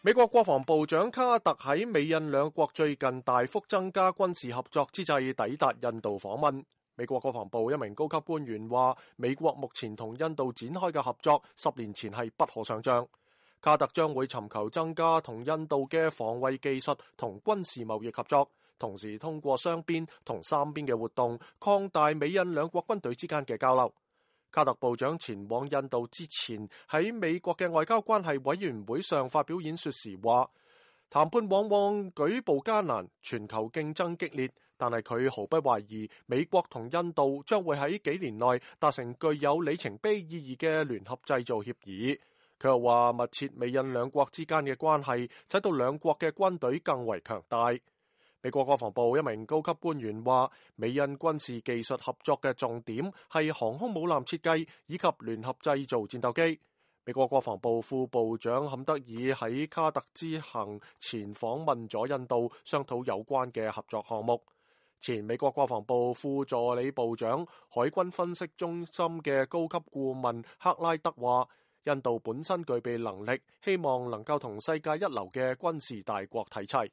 美國國防部長卡特喺美印兩國最近大幅增加軍事合作之際抵達印度訪問。美國國防部一名高級官員話，美國目前同印度展開嘅合作10年前係不可想象。卡特將會尋求增加同印度嘅防衛技術同軍事貿易合作，同時通過雙邊同三邊嘅活動擴大美印兩國軍隊之間嘅交流。卡特部長前往印度之前喺美國嘅外交關係委員會上發表演說時話，談判往往舉步艱難，全球競爭激烈，但係佢毫不懷疑美國同印度將會喺幾年內達成具有里程碑意義嘅聯合製造協議。佢又話，密切美印兩國之間嘅關係使到兩國嘅軍隊更為強大。美國國防部一名高級官員話，美印軍事技術合作嘅重點係航空母艦設計以及聯合製造戰鬥機。美國國防部副部長坎德爾喺卡特之行前訪問咗印度，商討有關嘅合作項目。前美國國防部副助理部長、海軍分析中心嘅高級顧問克拉德話，印度本身具備能力，希望能夠同世界一流嘅軍事大國睇齊。